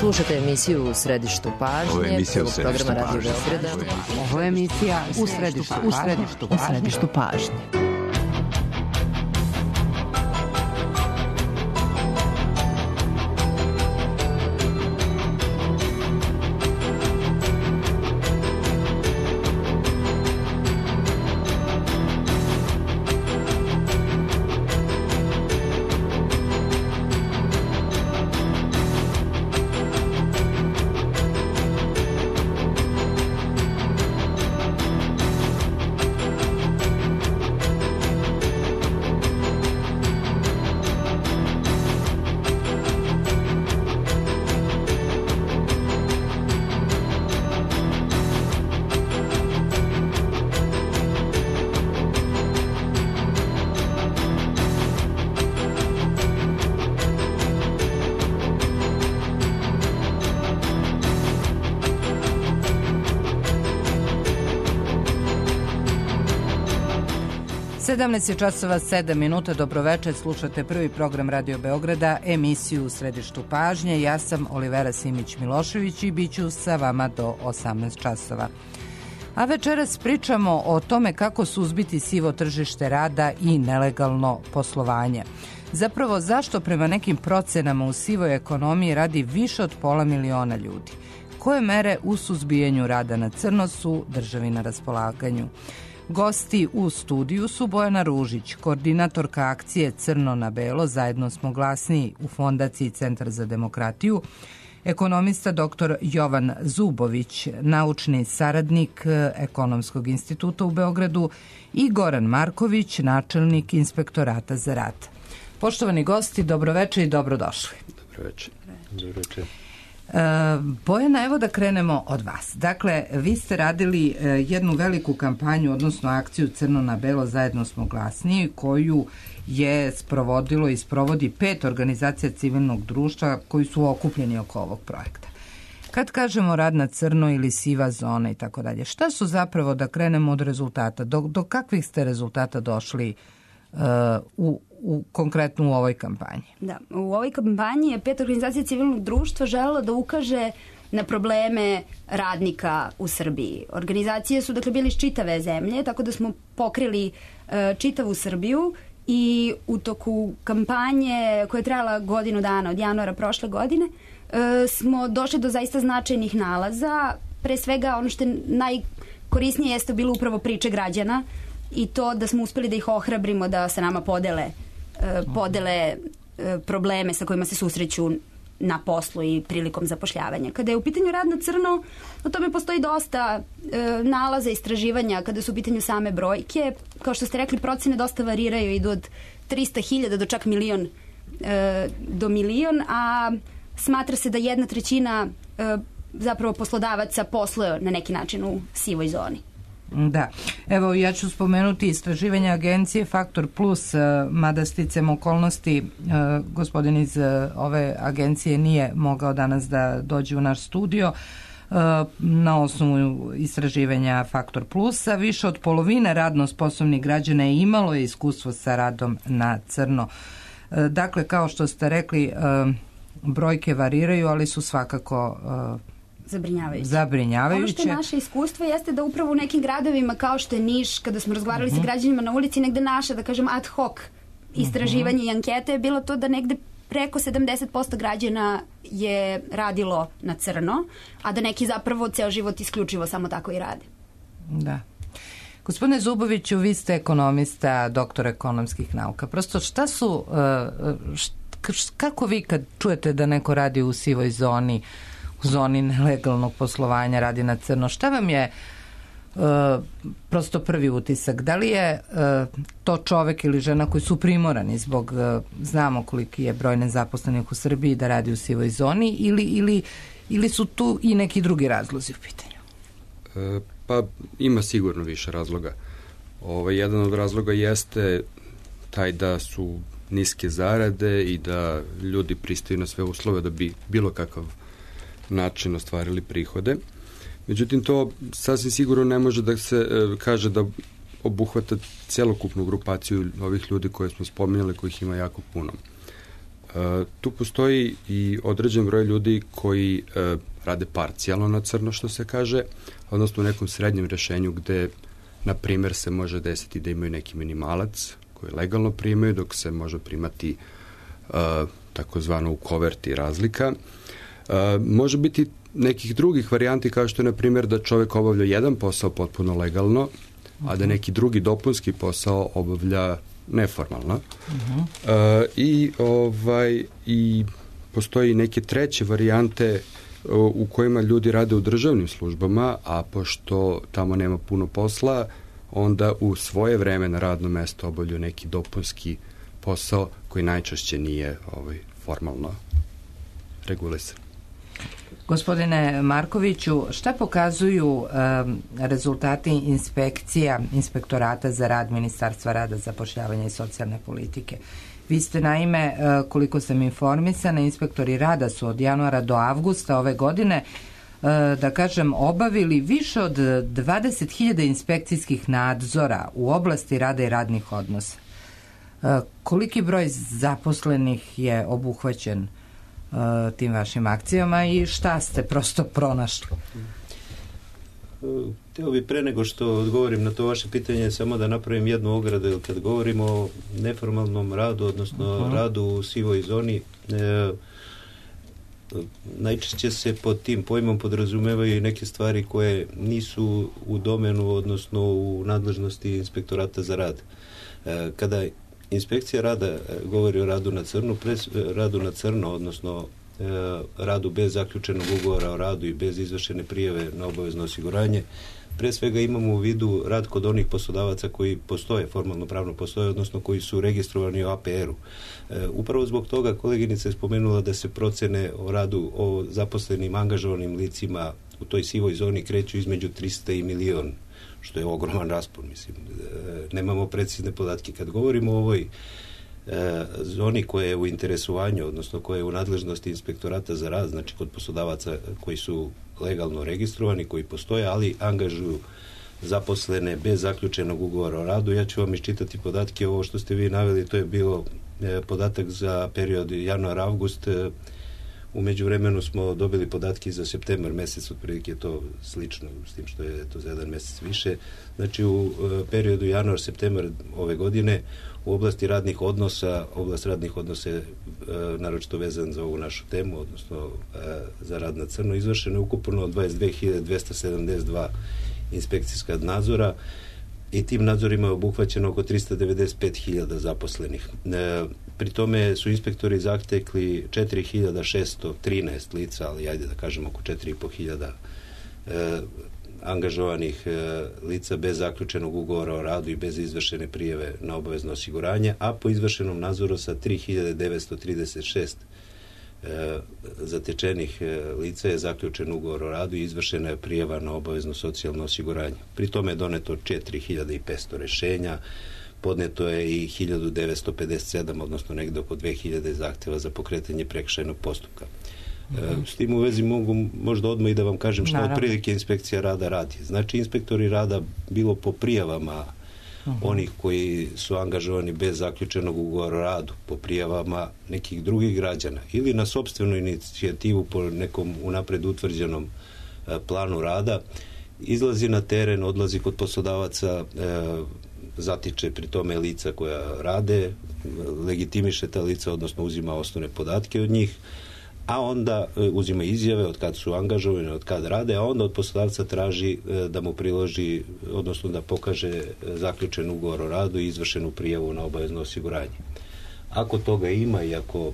Slušate emisiju U središtu pažnje, prvog programa Radio Beograda. Ovo je emisija U središtu pažnje. Je časova 7 minuta, dobroveče, slušate prvi program Radio Beograda, emisiju U središtu pažnje. Ja sam Olivera Simić-Milošević i bit ću sa vama do 18 časova. A večeras pričamo o tome kako suzbiti sivo tržište rada i nelegalno poslovanje. Zapravo, zašto prema nekim procenama u sivoj ekonomiji radi više od 500.000 ljudi? Koje mere u suzbijanju rada na crno su državi na raspolaganju? Gosti u studiju su Bojana Ružić, koordinatorka akcije Crno na belo, zajedno smo glasniji u Fondaciji Centar za demokratiju, ekonomista dr. Jovan Zubović, naučni saradnik Ekonomskog instituta u Beogradu i Goran Marković, načelnik Inspektorata za rad. Poštovani gosti, dobroveče i dobrodošli. Dobroveče. Dobroveče. Bojana, evo da krenemo od vas. Dakle, vi ste radili jednu veliku kampanju, odnosno akciju Crno na belo, zajedno smo glasniji, koju je sprovodilo i sprovodi 5 organizacija civilnog društva koji su okupljeni oko ovog projekta. Kad kažemo rad na crno ili siva zona i tako dalje, šta su zapravo, da krenemo od rezultata, do kakvih ste rezultata došli konkretno u ovoj kampanji? Da, u ovoj kampanji je 5 organizacija civilnog društva želela da ukaže na probleme radnika u Srbiji. Organizacije su dakle bili iz čitave zemlje, tako da smo pokrili čitavu Srbiju i u toku kampanje koja je trajala godinu dana, od januara prošle godine, smo došli do zaista značajnih nalaza. Pre svega ono što je najkorisnije jeste bilo upravo priče građana i to da smo uspeli da ih ohrabrimo da sa nama podele probleme sa kojima se susreću na poslu i prilikom zapošljavanja. Kada je u pitanju rad na crno, o tome postoji dosta nalaza, istraživanja kada su u pitanju same brojke. Kao što ste rekli, procene dosta variraju, idu od 300.000 do čak milion, a smatra se da 1/3 zapravo poslodavaca posluje na neki način u sivoj zoni. Da, evo ja ću spomenuti istraživanje agencije Faktor Plus, mada sticam okolnosti gospodin iz ove agencije nije mogao danas da dođe u naš studio. Na osnovu istraživanja Faktor Plusa više od polovine radno sposobnih građana je imalo iskustvo sa radom na crno. Dakle, kao što ste rekli, brojke variraju, ali su svakako zabrinjavajuće. Ono što je naše iskustvo jeste da upravo u nekim gradovima kao što je Niš, kada smo razgovarali sa građanima na ulici, negde naša, da kažem, ad hoc istraživanje i ankete je bilo to da negde preko 70% građana je radilo na crno, a da neki zapravo ceo život isključivo samo tako i rade. Da. Gospodine Zuboviću, vi ste ekonomista, doktor ekonomskih nauka. Prosto šta su, kako vi kad čujete da neko radi u sivoj zoni, u zoni nelegalnog poslovanja, radi na crno, šta vam je prosto prvi utisak? Da li je to čovek ili žena koji su primorani zbog, znamo koliki je broj nezaposlenih u Srbiji, da radi u sivoj zoni, ili su tu i neki drugi razlozi u pitanju? Pa ima sigurno više razloga. Jedan od razloga jeste taj da su niske zarade i da ljudi pristaju na sve uslove da bi bilo kakav način ostvarili prihode. Međutim, to sasvim sigurno ne može da se kaže da obuhvata celokupnu grupaciju ovih ljudi koje smo spominjali, kojih ima jako puno. Tu postoji i određen broj ljudi koji rade parcijalno na crno, što se kaže, odnosno u nekom srednjem rešenju gde, na primer, se može desiti da imaju neki minimalac koji legalno primaju, dok se može primati takozvano u koverti razlika. Može biti nekih drugih varijanti, kao što je, na primjer, da čovek obavlja jedan posao potpuno legalno, a da neki drugi dopunski posao obavlja neformalno. I postoji neke treće varijante u kojima ljudi rade u državnim službama, a pošto tamo nema puno posla, onda u svoje vreme na radno mesto obavljaju neki dopunski posao koji najčešće nije formalno regulisan. Gospodine Markoviću, šta pokazuju rezultati inspektorata za rad Ministarstva rada, zapošljavanja i socijalne politike? Vi ste, naime, koliko sam informisana, inspektori rada su od januara do avgusta ove godine, da kažem, obavili više od 20.000 inspekcijskih nadzora u oblasti rada i radnih odnosa. Koliki broj zaposlenih je obuhvaćen tim vašim akcijama i šta ste prosto pronašli? Htio bi pre nego što odgovorim na to vaše pitanje samo da napravim jednu ogradu, jer kad govorimo o neformalnom radu, odnosno radu u sivoj zoni, najčešće se pod tim pojmom podrazumevaju i neke stvari koje nisu u domenu, odnosno u nadležnosti inspektorata za rad. Kada inspekcija rada govori o radu na crno, odnosno radu bez zaključenog ugovora o radu i bez izvršene prijave na obavezno osiguranje, pre svega imamo u vidu rad kod onih poslodavaca koji postoje, formalno pravno postoje, odnosno koji su registrovani u APR-u. Upravo zbog toga koleginica je spomenula da se procene o radu o zaposlenim angažovanim licima u toj sivoj zoni kreću između 300 i milion, što je ogroman raspon, mislim. Nemamo precizne podatke. Kad govorimo o ovoj zoni koja je u interesovanju, odnosno koja je u nadležnosti inspektorata za rad, znači kod poslodavaca koji su legalno registrovani, koji postoje, ali angažuju zaposlene bez zaključenog ugovora o radu. Ja ću vam iščitati podatke. Ovo što ste vi naveli, to je bilo podatak za period januar-avgust. U međuvremenu smo dobili podatke za septembar mesec, otprilike je to slično, s tim što je to za jedan mesec više. Znači u periodu januar-septembar ove godine u oblasti radnih odnosa, oblast radnih odnosa je naročito vezan za ovu našu temu, odnosno za rad na crno, izvršeno je ukupno 22.272 inspekcijska nadzora i tim nadzorima je obuhvaćeno oko 395.000 zaposlenih. Pri tome su inspektori zatekli 4.613 lica, ali ajde da kažem oko 4.500 angažovanih lica bez zaključenog ugovora o radu i bez izvršene prijave na obavezno osiguranje, a po izvršenom nadzoru sa 3.936 zatečenih lica je zaključen ugovor o radu i izvršena je prijava na obavezno socijalno osiguranje. Pri tome je doneto 4.500 rešenja, podneto je i 1.957, odnosno negde oko 2.000 zahteva za pokretanje prekršajnog postupka. S tim u vezi mogu možda odmah i da vam kažem što otprilike inspekcija rada radi. Znači, inspektori rada bilo po prijavama onih koji su angažovani bez zaključenog ugovora o radu, po prijavama nekih drugih građana ili na sopstvenu inicijativu po nekom unapred utvrđenom planu rada, izlazi na teren, odlazi kod poslodavaca, zatiče pri tome lica koja rade, legitimiše ta lica, odnosno uzima osnovne podatke od njih, a onda uzima izjave od kad su angažovani, od kad rade, a onda od poslodavca traži da mu priloži, odnosno da pokaže zaključen ugovor o radu i izvršenu prijavu na obavezno osiguranje. Ako toga ima i ako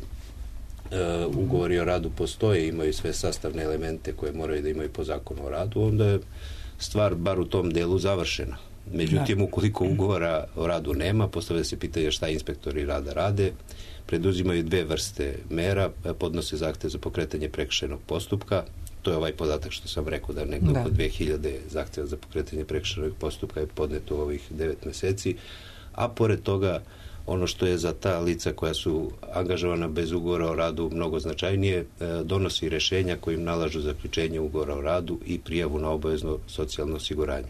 ugovori o radu postoje, imaju sve sastavne elemente koje moraju da imaju po zakonu o radu, onda je stvar bar u tom delu završena. Međutim, ukoliko ugovora o radu nema, postavlja se pitanje šta inspektori rada rade, preduzimaju dve vrste mera, podnose zahtev za pokretanje prekršajnog postupka, to je ovaj podatak što sam rekao da negdje oko 2000 zahteva za pokretanje prekršajnog postupka je podneto u ovih 9 meseci, a pored toga ono što je za ta lica koja su angažovana bez ugovora o radu mnogo značajnije, donosi rešenja kojim nalažu zaključenje ugovora o radu i prijavu na obavezno socijalno osiguranje.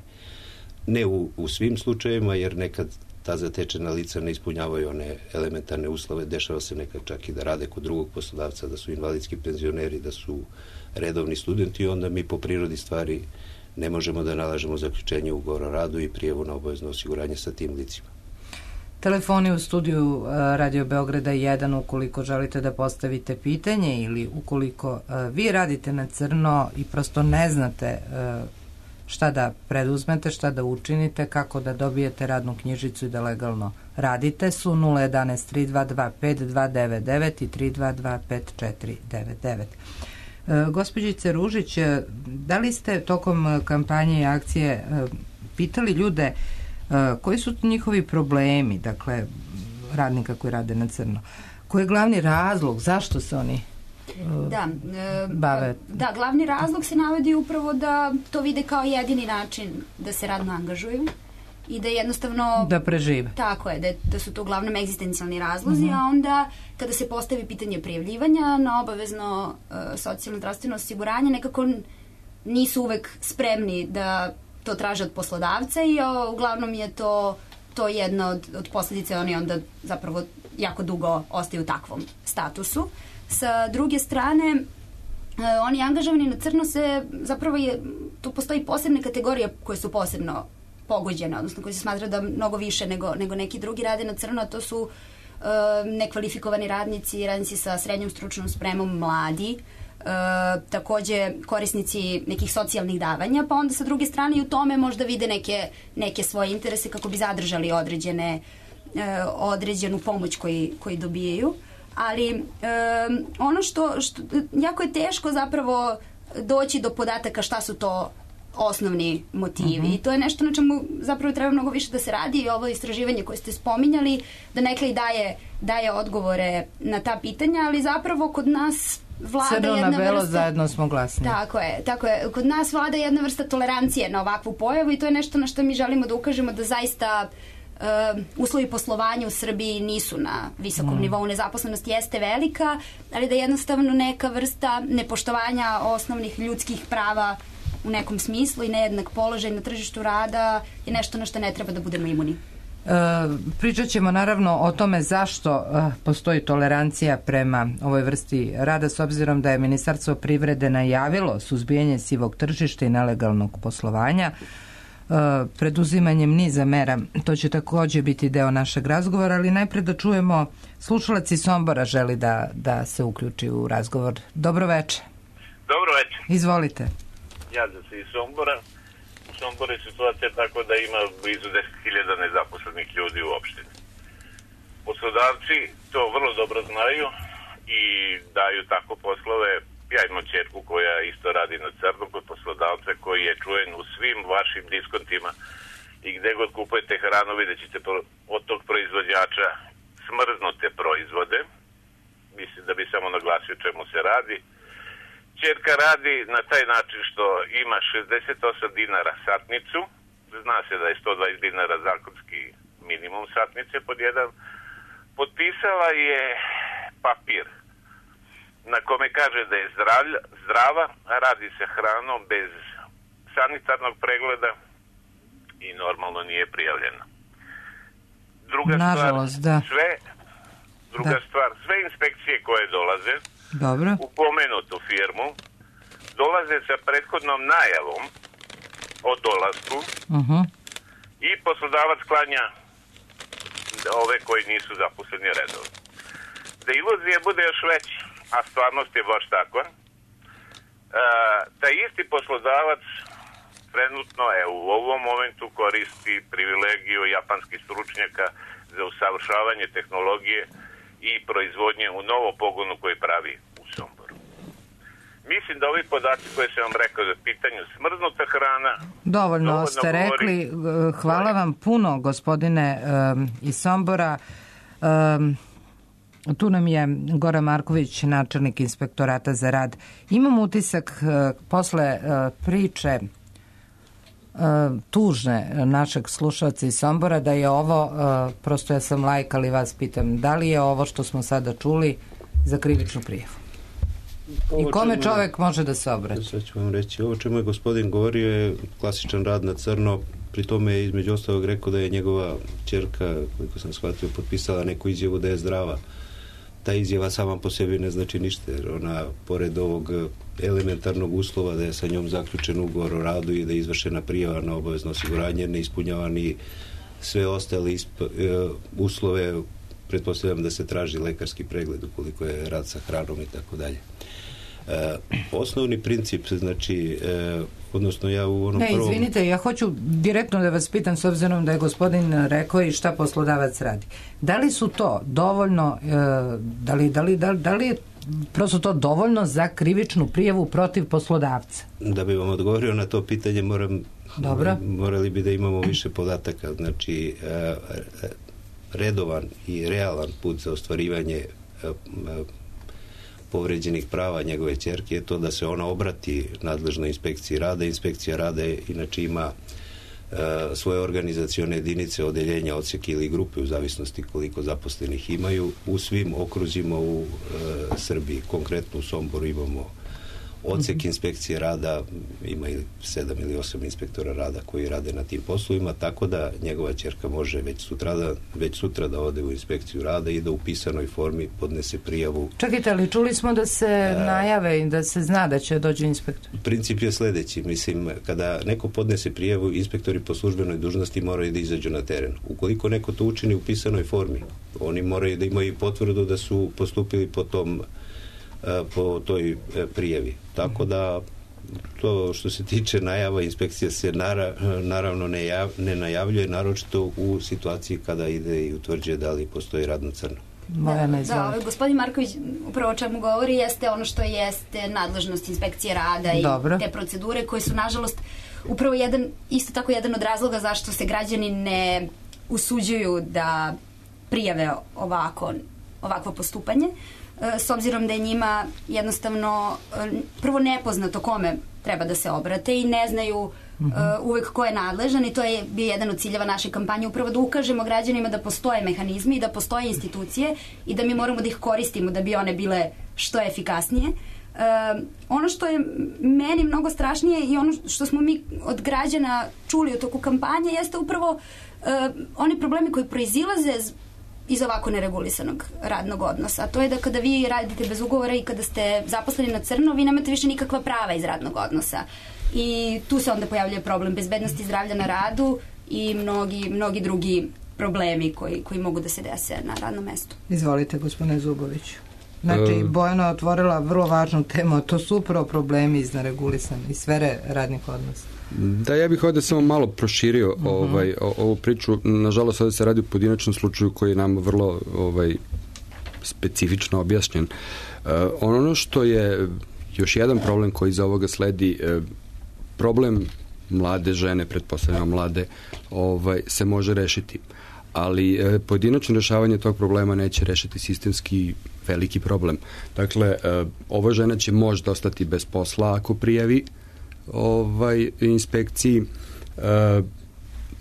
Ne u svim slučajevima, jer nekad ta zatečena lica ne ispunjavaju one elementarne uslove, dešava se nekad čak i da rade kod drugog poslodavca, da su invalidski penzioneri, da su redovni studenti i onda mi po prirodi stvari ne možemo da nalažemo zaključenje ugovora o radu i prijavu na obavezno osiguranje sa tim licima. Telefoni u studiju Radio Beograda 1 ukoliko želite da postavite pitanje ili ukoliko vi radite na crno i prosto ne znate šta da preduzmete, šta da učinite, kako da dobijete radnu knjižicu i da legalno radite su 011 322 5299 i 322 5499. Gospođice Ružić, da li ste tokom kampanje i akcije pitali ljude koji su njihovi problemi, dakle radnika koji rade na crno? Koji je glavni razlog, zašto se oni bave? Da, glavni razlog se navodi upravo da to vide kao jedini način da se radno angažuju i da jednostavno... Da prežive. Tako je, da su to uglavnom egzistencijalni razlozi, a onda kada se postavi pitanje prijavljivanja na obavezno socijalno zdravstveno osiguranje, nekako nisu uvek spremni da to traže od poslodavca i uglavnom je to jedna od posljedice, oni onda zapravo jako dugo ostaju u takvom statusu. Sa druge strane, oni angažovani na crno zapravo tu postoji posebne kategorije koje su posebno pogođene, odnosno koji se smatra da mnogo više nego neki drugi rade na crno, a to su nekvalifikovani radnici sa srednjom stručnom spremom, mladi, takođe korisnici nekih socijalnih davanja, pa onda sa druge strane i u tome možda vide neke svoje interese kako bi zadržali određenu pomoć koji dobijaju. Ali ono što jako je teško zapravo doći do podataka šta su to osnovni motivi. I to je nešto na čemu zapravo treba mnogo više da se radi i ovo istraživanje koje ste spominjali, da nekaj daje odgovore na ta pitanja, ali zapravo kod nas vlada crno jedna na belo, vrsta... zajedno smo glasni. Tako je. Kod nas vlada jedna vrsta tolerancije na ovakvu pojavu i to je nešto na što mi želimo da ukažemo, da zaista uslovi poslovanja u Srbiji nisu na visokom nivou, nezaposlenost jeste velika, ali da jednostavno neka vrsta nepoštovanja osnovnih ljudskih prava u nekom smislu i nejednak položaj na tržištu rada je nešto na što ne treba da budemo imuni. Pričat ćemo naravno o tome zašto postoji tolerancija prema ovoj vrsti rada, s obzirom da je Ministarstvo privrede najavilo suzbijanje sivog tržišta i nelegalnog poslovanja preduzimanjem niza mera. To će također biti deo našeg razgovora, ali najpre da čujemo, slušalac iz Sombora želi da se uključi u razgovor. Dobro večer. Dobro večer. Izvolite. Javljam se iz Sombora. U Somboru je situacija tako da ima blizu 10.000 nezaposlenih ljudi u opštini. Poslodavci to vrlo dobro znaju i daju tako poslove. Ja imam ćerku koja isto radi na crno kod poslodavca koji je čujen u svim vašim diskontima i gde god kupujete hranu vidjet ćete od tog proizvođača smrznute proizvode. Mislim da bi samo naglasio čemu se radi. Ćerka radi na taj način što ima 68 dinara satnicu, zna se da je 120 dinara zakonski minimum satnice pod jedan. Potpisala je papir na kome kaže da je zdrava, radi se hranom bez sanitarnog pregleda i normalno nije prijavljena. Druga stvar, sve inspekcije koje dolaze u pomenutu firmu dolaze sa prethodnom najavom o dolasku i poslodavac klanja ove koji nisu zaposleni redovno. Da iluzija bude još veća, a stvarnost je baš takva, taj isti poslodavac trenutno u ovom momentu koristi privilegiju japanskih stručnjaka za usavršavanje tehnologije i proizvodnje u novom pogonu koji pravi u Somboru. Mislim da ovi podaci koje sam vam rekao za pitanju smrznuta hrana... Dovoljno ste rekli. Hvala vam puno, gospodine iz Sombora. Tu nam je Goran Marković, načelnik inspektorata za rad. Imam utisak posle priče tužne našeg slušalca iz Sombora da je ovo, prosto ja sam laik, ali vas pitam, da li je ovo što smo sada čuli za krivičnu prijavu? I kome čovek može da se obrati? Sad ću vam reći, ovo čemu je gospodin govorio je klasičan rad na crno, pri tome je između ostalog rekao da je njegova ćerka, koliko sam shvatio, potpisala neku izjavu da je zdrava. Ta izjava sama po sebi ne znači ništa, jer ona, pored ovog elementarnog uslova da je sa njom zaključen ugovor o radu i da je izvršena prijava na obavezno osiguranje, ne ispunjava ni sve ostale uslove, pretpostavljam da se traži lekarski pregled ukoliko je rad sa hranom i tako dalje. Osnovni princip, znači, odnosno ja u onom prvom... Izvinite, ja hoću direktno da vas pitam, s obzirom da je gospodin rekao i šta poslodavac radi. Da li su to dovoljno, da li je prosto to dovoljno za krivičnu prijavu protiv poslodavca? Da bi vam odgovorio na to pitanje, morali bi da imamo više podataka. Znači, redovan i realan put za ostvarivanje povređenih prava njegove ćerke je to da se ona obrati nadležnoj inspekciji rada. Inspekcija rada inače ima svoje organizacione jedinice, odeljenja, odsjeke ili grupe u zavisnosti koliko zaposlenih imaju u svim okruzima u Srbiji. Konkretno u Somboru imamo odsek inspekcije rada, ima 7 ili 8 inspektora rada koji rade na tim poslovima, tako da njegova ćerka može već sutra da ode u inspekciju rada i da u pisanoj formi podnese prijavu. Čekajte, ali čuli smo da se najave i da se zna da će dođe inspektor. Princip je sledeći, mislim, kada neko podnese prijavu, inspektori po službenoj dužnosti moraju da izađu na teren. Ukoliko neko to učini u pisanoj formi, oni moraju da imaju potvrdu da su postupili po toj prijavi. Tako da to što se tiče najava, inspekcija se naravno ne najavljuje, naročito u situaciji kada ide i utvrđuje da li postoji rad na crno. Da, gospodin Marković upravo o čemu govori jeste ono što jeste nadležnost inspekcije rada i te procedure koje su nažalost upravo isto tako jedan od razloga zašto se građani ne usuđuju da prijave ovakvo postupanje, s obzirom da je njima jednostavno prvo nepoznato kome treba da se obrate i ne znaju uvek ko je nadležan, i to je bio jedan od ciljeva naše kampanje, upravo da ukažemo građanima da postoje mehanizmi i da postoje institucije i da mi moramo da ih koristimo da bi one bile što efikasnije. Ono što je meni mnogo strašnije i ono što smo mi od građana čuli u toku kampanje jeste upravo oni problemi koji proizilaze iz ovako neregulisanog radnog odnosa. A to je da kada vi radite bez ugovora i kada ste zaposleni na crno, vi nemate više nikakva prava iz radnog odnosa. I tu se onda pojavljuje problem bezbednosti zdravlja na radu i mnogi drugi problemi koji mogu da se dese na radnom mestu. Izvolite, gospodine Zuboviću. Znači, Bojana je otvorila vrlo važnu temu, to su upravo problemi iz neregulisane iz sfere radnih odnosa. Da, ja bih ovdje samo malo proširio ovu priču. Nažalost, ovdje se radi o pojedinačnom slučaju koji je nam vrlo specifično objašnjen. Ono što je još jedan problem koji iz ovoga sledi, problem mlade žene, pretpostavljamo mlade, se može rešiti. Ali pojedinačno rešavanje tog problema neće rešiti sistemski veliki problem. Dakle, ova žena će možda ostati bez posla ako prijavi inspekciji,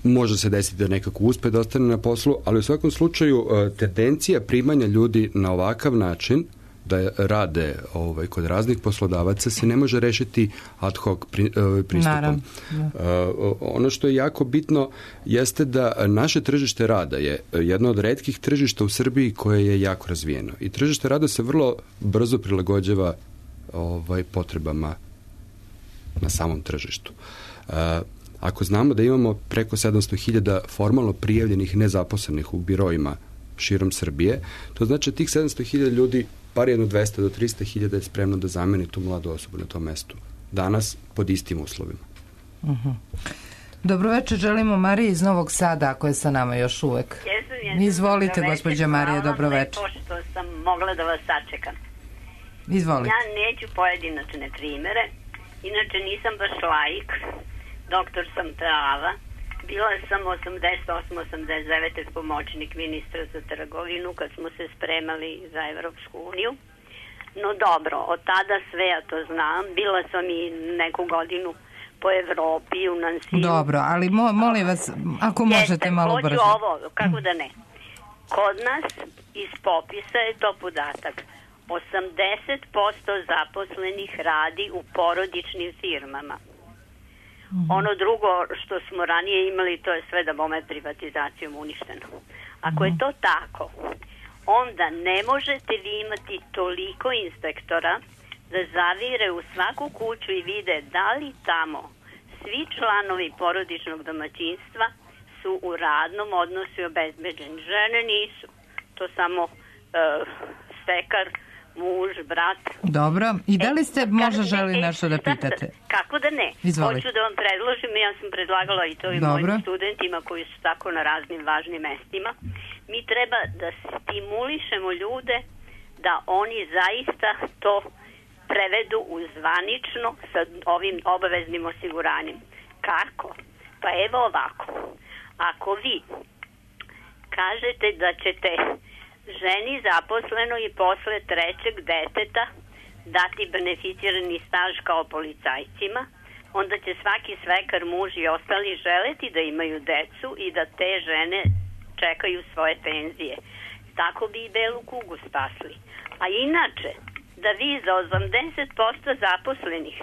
može se desiti da nekako uspe da ostane na poslu, ali u svakom slučaju tendencija primanja ljudi na ovakav način da rade kod raznih poslodavaca se ne može rešiti ad hoc pristupom. Ono što je jako bitno jeste da naše tržište rada je jedno od retkih tržišta u Srbiji koje je jako razvijeno. I tržište rada se vrlo brzo prilagođava potrebama na samom tržištu. Ako znamo da imamo preko 700.000 formalno prijavljenih nezaposlenih u biroima širom Srbije, to znači tih 700.000 ljudi bar jedno 200 do 300.000 je spremno da zameni tu mladu osobu na tom mestu. Danas pod istim uslovima. Dobroveče, želimo Mariji iz Novog Sada, ako je sa nama još uvek. Izvolite, gospođa Marija, dobroveče. Pošto sam mogla da vas sačekam. Izvolite. Ja neću pojedinačne primere, inače nisam baš laik, doktor sam prava. Bila sam 88-89 pomoćnik ministra za trgovinu kad smo se spremali za Evropsku uniju. No dobro, od tada sve ja to znam. Bila sam i neku godinu po Evropi u Nansiju. Dobro, ali molim vas, ako možete malo brže. Hoću ovo, kako da ne. Kod nas iz popisa je to podatak. 80% zaposlenih radi u porodičnim firmama. Ono drugo što smo ranije imali, to je sve da bome privatizacijom uništeno. Ako je to tako, onda ne možete vi imati toliko inspektora da zavire u svaku kuću i vide da li tamo svi članovi porodičnog domaćinstva su u radnom odnosu i obezbeđeni. Žene nisu. To samo stekar, muž, brat. Dobro. I da li ste možda želi nešto da pitate? Kako da ne? Izvolite. Hoću da vam predložim, ja sam predlagala i to i mojim studentima koji su tako na raznim važnim mestima. Mi treba da stimulišemo ljude da oni zaista to prevedu u zvanično sa ovim obaveznim osiguranjem. Kako? Pa evo ovako. Ako vi kažete da ćete ženi zaposleno i posle trećeg deteta dati beneficirani staž kao policajcima, onda će svaki svekar, muž i ostali želeti da imaju decu i da te žene čekaju svoje penzije. Tako bi i belu kugu spasli. A inače, da vi za 80% zaposlenih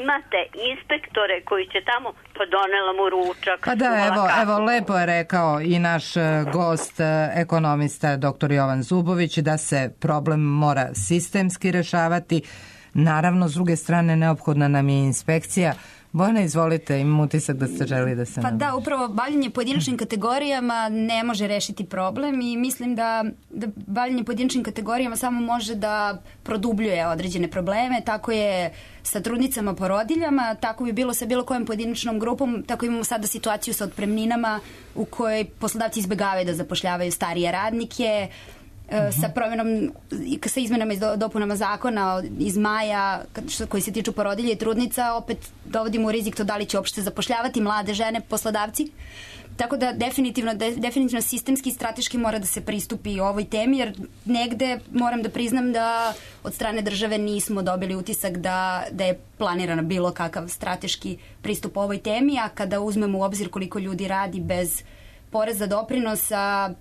imate inspektore koji će tamo, pa donela mu ručak. Pa da, evo, lepo je rekao i naš gost, ekonomista dr. Jovan Zubović, da se problem mora sistemski rešavati. Naravno, s druge strane, neophodna nam je inspekcija. Bojana, izvolite, imam utisak da ste želi da se... Pa da, upravo bavljenje pojedinačnim kategorijama ne može rešiti problem i mislim da bavljenje pojedinačnim kategorijama samo može da produbljuje određene probleme. Tako je sa trudnicama, porodiljama, tako bi bilo sa bilo kojom pojedinačnom grupom, tako imamo sada situaciju sa otpremninama u kojoj poslodavci izbegavaju da zapošljavaju starije radnike, sa izmenama i dopunama zakona iz maja koji se tiču porodilja i trudnica, opet dovodimo u rizik to da li će uopšte zapošljavati mlade žene poslodavci. Tako da definitivno sistemski i strateški mora da se pristupi ovoj temi, jer negde moram da priznam da od strane države nismo dobili utisak da je planirano bilo kakav strateški pristup ovoj temi, a kada uzmemo u obzir koliko ljudi radi bez poreza doprinosa,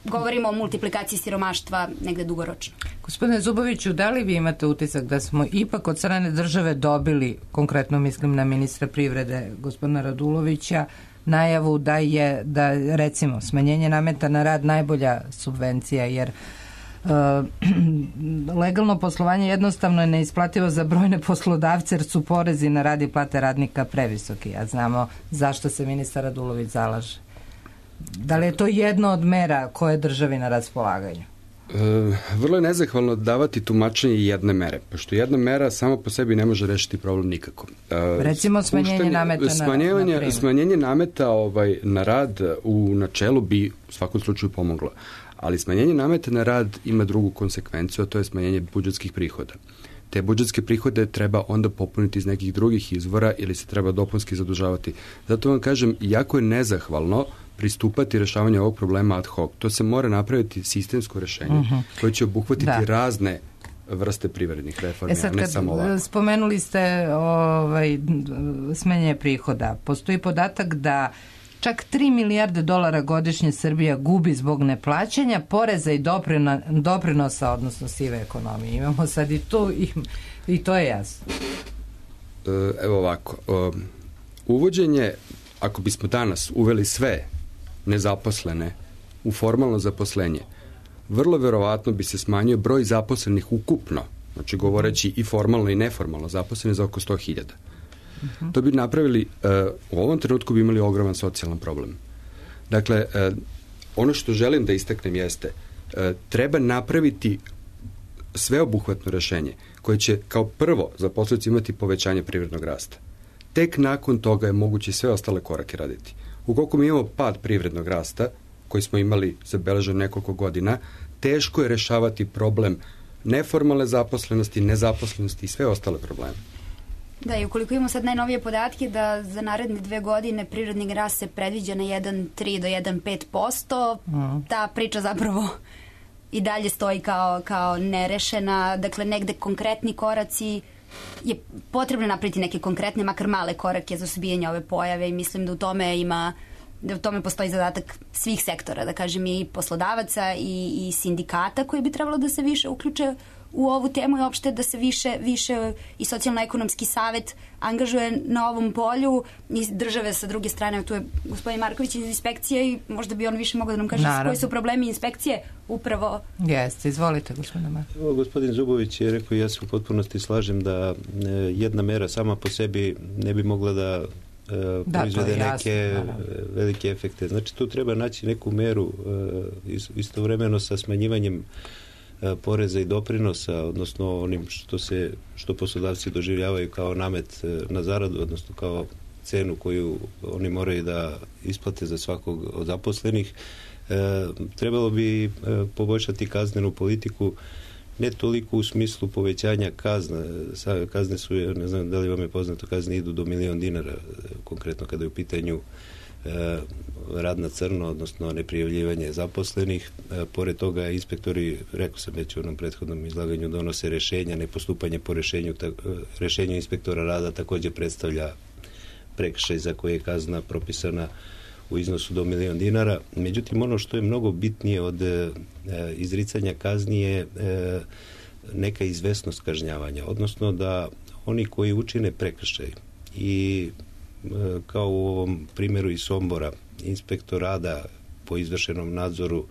govorimo o multiplikaciji siromaštva negde dugoročno. Gospodine Zuboviću, da li vi imate utisak da smo ipak od strane države dobili, konkretno mislim na ministra privrede gospodina Radulovića, najavu da je, recimo, smanjenje nameta na rad najbolja subvencija, jer legalno poslovanje jednostavno je neisplativo za brojne poslodavce jer su porezi na rad i plate radnika previsoki, a znamo zašto se ministar Radulović zalaže. Da li je to jedno od mera koje državi na raspolaganju? Vrlo je nezahvalno davati tumačenje jedne mere, pošto jedna mera samo po sebi ne može rešiti problem nikako. Recimo smanjenje nameta na smanjenje nameta na rad u načelu bi u svakom slučaju pomoglo, ali smanjenje nameta na rad ima drugu konsekvenciju, a to je smanjenje budžetskih prihoda. Te budžetske prihode treba onda popuniti iz nekih drugih izvora ili se treba dopunski zadužavati. Zato vam kažem, jako je nezahvalno pristupati rešavanju ovog problema ad hoc. To se mora napraviti sistemsko rešenje koje će obuhvatiti razne vrste privrednih reformi, a ne samo ovako. Spomenuli ste smanjenje prihoda. Postoji podatak da čak 3 milijarde dolara godišnje Srbija gubi zbog neplaćanja poreza i doprinosa, odnosno sive ekonomije. Imamo sad i to, i to je jasno. Evo ovako. Uvođenje, ako bismo danas uveli sve nezaposlene u formalno zaposlenje, vrlo verovatno bi se smanjio broj zaposlenih ukupno, znači govoreći i formalno i neformalno zaposlene za oko 100.000. To bi napravili, u ovom trenutku bi imali ogroman socijalan problem. Dakle, ono što želim da istaknem jeste, treba napraviti sveobuhvatno rešenje koje će kao prvo za posledicu imati povećanje privrednog rasta. Tek nakon toga je moguće sve ostale korake raditi. Ukoliko mi imamo pad privrednog rasta, koji smo imali zabeležen nekoliko godina, teško je rešavati problem neformalne zaposlenosti, nezaposlenosti i sve ostale probleme. Da, i ukoliko imamo sad najnovije podatke da za naredne 2 godine privredni rast se predviđa na 1,3 do 1,5%, ta priča zapravo i dalje stoji kao nerešena, dakle negde konkretni koraci, je potrebno napraviti neke konkretne, makar male korake za suzbijanje ove pojave i mislim da u tome ima da u tome postoji zadatak svih sektora, da kažem i poslodavaca i sindikata koji bi trebalo da se više uključe u ovu temu i opšte da se više i socijalno-ekonomski savet angažuje na ovom polju i države sa druge strane. Tu je gospodin Marković iz inspekcije i možda bi on više mogao da nam kaže koji su problemi inspekcije upravo. Jeste, izvolite gospodine Marković. Gospodin Zubović je rekao, ja se u potpunosti slažem da jedna mera sama po sebi ne bi mogla da proizvede neke velike efekte. Znači tu treba naći neku meru istovremeno sa smanjivanjem poreza i doprinosa, odnosno onim što poslodavci doživljavaju kao namet na zaradu, odnosno kao cenu koju oni moraju da isplate za svakog od zaposlenih. Trebalo bi poboljšati kaznenu politiku, ne toliko u smislu povećanja kazna. Kazne su, ne znam da li vam je poznato, kazne idu do $1.000.000, konkretno kada je u pitanju rad na crno, odnosno neprijavljivanje zaposlenih. Pored toga inspektori, rekao sam već u onom prethodnom izlaganju, donose rešenja, nepostupanje po rešenju inspektora rada također predstavlja prekršaj za koje je kazna propisana u iznosu do $1.000.000. Međutim, ono što je mnogo bitnije od izricanja kazni je neka izvesnost kažnjavanja, odnosno da oni koji učine prekršaj i kao u ovom primjeru iz Sombora, inspektor rada po izvršenom nadzoru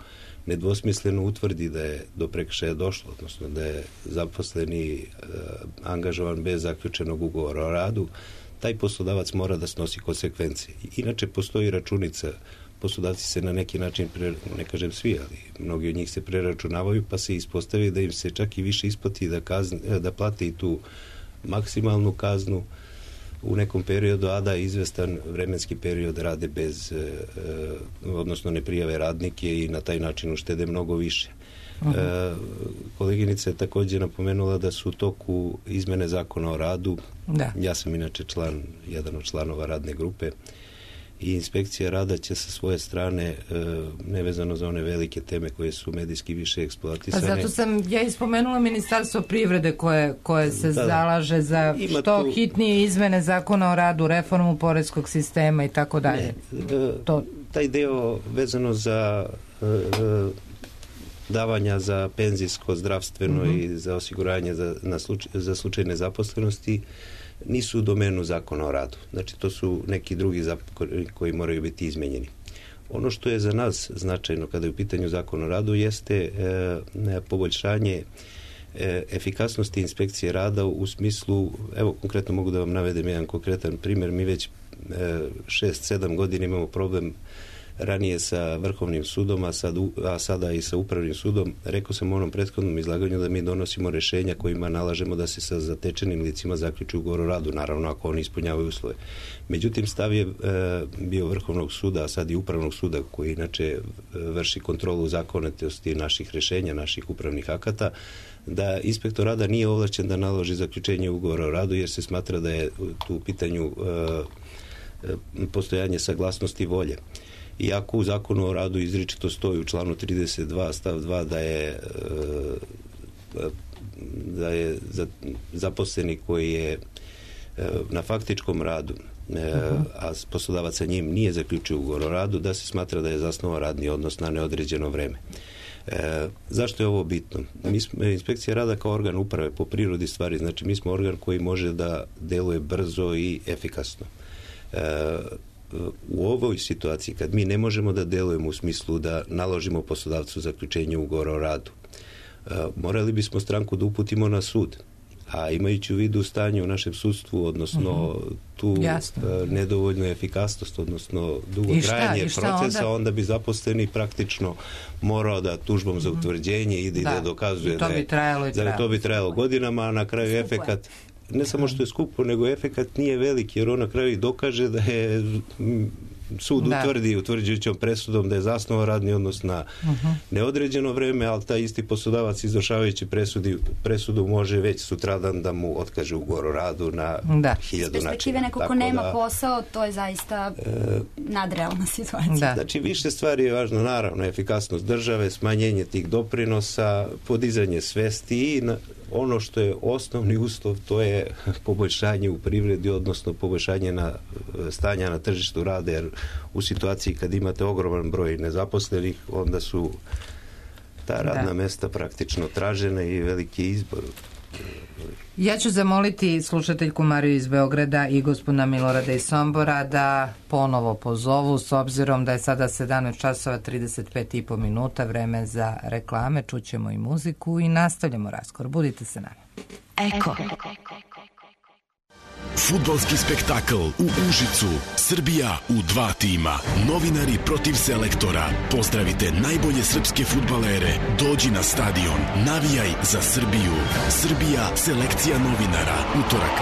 nedvosmisleno utvrdi da je do prekršaja došlo, odnosno da je zaposleni angažovan bez zaključenog ugovora o radu, taj poslodavac mora da snosi konsekvencije. Inače postoji računica, poslodavci se na neki način, ne kažem svi, ali mnogi od njih se preračunavaju, pa se ispostavi da im se čak i više isplati da plate i tu maksimalnu kaznu u nekom periodu, a da izvestan vremenski period rade bez, odnosno ne prijave radnike i na taj način uštede mnogo više. Koleginica je također napomenula da su u toku izmene zakona o radu. Da. Ja sam inače jedan od članova radne grupe i inspekcija rada će sa svoje strane, nevezano za one velike teme koje su medijski više eksploatisane. Zato sam ja ispomenula Ministarstvo privrede koje se zalaže za što hitnije izmene zakona o radu, reformu poreskog sistema i tako dalje. Taj deo vezano za davanja za penzijsko, zdravstveno i za osiguranje za slučaj nezaposlenosti nisu u domenu zakona o radu. Znači, to su neki drugi zakoni koji moraju biti izmenjeni. Ono što je za nas značajno kada je u pitanju zakona o radu jeste poboljšanje efikasnosti inspekcije rada u smislu, evo konkretno mogu da vam navedem jedan konkretan primjer, mi već 6-7 godina imamo problem ranije sa Vrhovnim sudom, a sada i sa Upravnim sudom. Rekao sam u onom prethodnom izlaganju da mi donosimo rešenja kojima nalažemo da se sa zatečenim licima zaključi ugovor o radu, naravno ako oni ispunjavaju uslove. Međutim, stav je bio Vrhovnog suda, a sad i Upravnog suda, koji inače vrši kontrolu zakonitosti naših rešenja, naših upravnih akata, da inspektor rada nije ovlašćen da naloži zaključenje ugovora o radu, jer se smatra da je tu u pitanju postojanje saglasnosti volje. Iako u zakonu o radu izričito stoji u članu 32 stav 2 da je zaposleni koji je na faktičkom radu, a poslodavac sa njim nije zaključio ugovor o radu, da se smatra da je zasnovao radni odnos na neodređeno vreme. Zašto je ovo bitno? Inspekcija rada kao organ uprave po prirodi stvari, znači mi smo organ koji može da deluje brzo i efikasno. U ovoj situaciji, kad mi ne možemo da delujemo u smislu da naložimo poslodavcu zaključenje ugovora o radu, morali bismo stranku da uputimo na sud. A imajući u vidu stanje u našem sudstvu, odnosno tu nedovoljnu efikasnost, odnosno dugo trajanje procesa, onda bi zaposleni praktično morao da tužbom za utvrđenje ide i da dokazuje da to bi trajalo godinama, a na kraju efekat ne samo što je skupo, nego efekat nije veliki, jer on na kraju i dokaže da je sud utvrdi utvrđujućom presudom da je zasnovao radni odnos na neodređeno vreme, ali taj isti poslodavac izvršavajući presudu može već sutradan da mu otkaže ugovor o radu na 1000 načina. Iz perspektive neko ko nema posao, to je zaista nadrealna situacija. Znači, više stvari je važno, naravno, efikasnost države, smanjenje tih doprinosa, podizanje svesti i ono što je osnovni uslov, to je poboljšanje u privredi, odnosno poboljšanje stanja na tržištu rada, jer u situaciji kad imate ogroman broj nezaposlenih, onda su ta radna mesta praktično tražena i veliki izbor. Ja ću zamoliti slušateljku Mariju iz Beograda i gospodina Milorada iz Sombora da ponovo pozovu, s obzirom da je sada 17 časova 35,5 minuta, vreme za reklame, čućemo i muziku i nastavljamo razgovor. Budite se nama. Eko. Fudbalski spektakl u Užicu. Srbija u 2 tima. Novinari protiv selektora. Pozdravite najbolje srpske fudbalere. Dođi na stadion. Navijaj za Srbiju. Srbija, selekcija novinara. Utorak,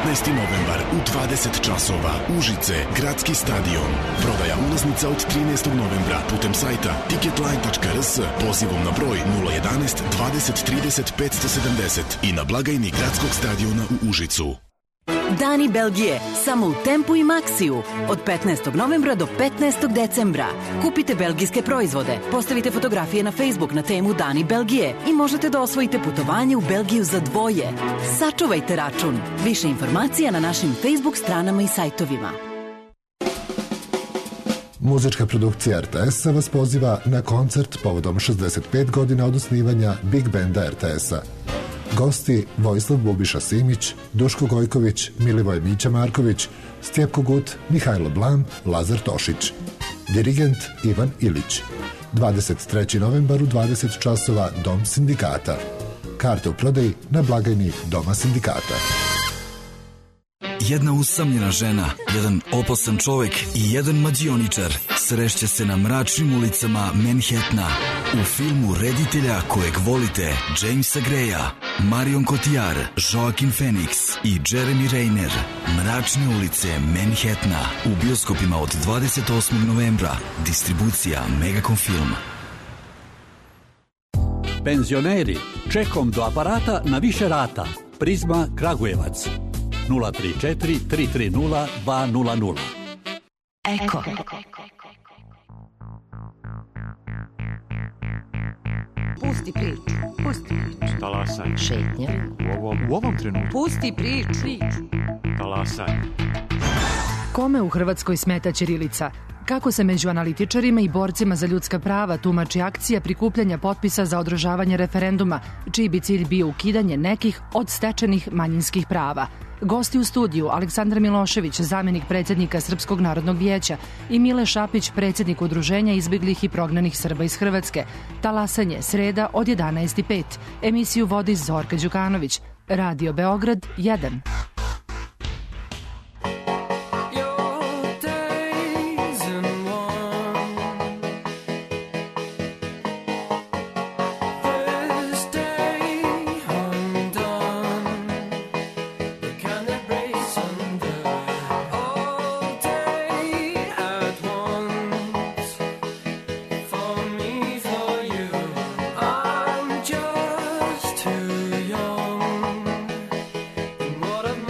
19. novembar u 20 časova. Užice, gradski stadion. Prodaja ulaznica od 13. novembra putem sajta ticketline.rs, pozivom na broj 011 20 30 570 i na blagajni gradskog stadiona u Užicu. Dani Belgije, samo u Tempu i Maxiju, od 15. novembra do 15. decembra. Kupite belgijske proizvode, postavite fotografije na Facebook na temu Dani Belgije i možete da osvojite putovanje u Belgiju za dvoje. Sačuvajte račun. Više informacija na našim Facebook stranama i sajtovima. Muzička produkcija RTS-a vas poziva na koncert povodom 65 godina od osnivanja Big Banda RTS-a. Gosti Vojislav Bubiša Simić, Duško Gojković, Milivoj Mića Marković, Stjepko Gut, Mihajlo Blam, Lazar Tošić. Dirigent Ivan Ilić. 23. novembar u 20 časova Dom sindikata. Karte u prodaji na blagajni Doma sindikata. Jedna usamljena žena, jedan opasan čovek i jedan mađioničar srešće se na mračnim ulicama Manhattana u filmu reditelja kojeg volite, Jamesa Greya, Marion Cotillard, Joaquin Phoenix i Jeremy Renner. Mračne ulice Manhattana u bioskopima od 28. novembra. Distribucija Megacom Film. Penzioneri, čekom do aparata na više rata. Prizma Kragujevac. 034 330 200. Eko. Pusti priču. Pusti priču. Talasaj. Šetnja. U ovom trenutku. Pusti priču. Talasaj. Kome u Hrvatskoj smeta ćirilica? Kako se među analitičarima i borcima za ljudska prava tumači akcija prikupljanja potpisa za održavanje referenduma, čiji bi cilj bio ukidanje nekih od stečenih manjinskih prava? Gosti u studiju Aleksandar Milošević, zamenik predsjednika Srpskog narodnog vijeća, i Mile Šapić, predsjednik Udruženja izbeglih i prognanih Srba iz Hrvatske. Talasanje, sreda od 11:05. Emisiju vodi Zorka Đukanović. Radio Beograd 1. What a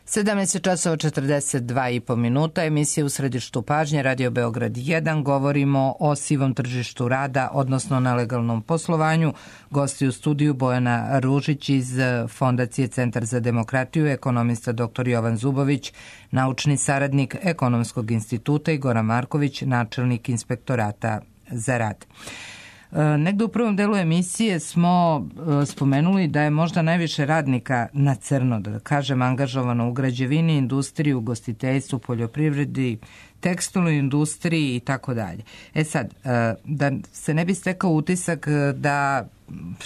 17 časova 42,5 minuta, emisija U središtu pažnje, Radio Beograd 1. Govorimo o sivom tržištu rada, odnosno nelegalnom poslovanju. Gosti u studiju Bojana Ružić iz Fondacije Centar za demokratiju, ekonomista dr. Jovan Zubović, naučni saradnik Ekonomskog instituta i Goran Marković, načelnik Inspektorata za rad. Negde u prvom delu emisije smo spomenuli da je možda najviše radnika na crno, da kažem, angažovano u građevini, industriji, ugostiteljstvu, poljoprivredi, tekstilnoj industriji i tako dalje. Sad, da se ne bi stekao utisak da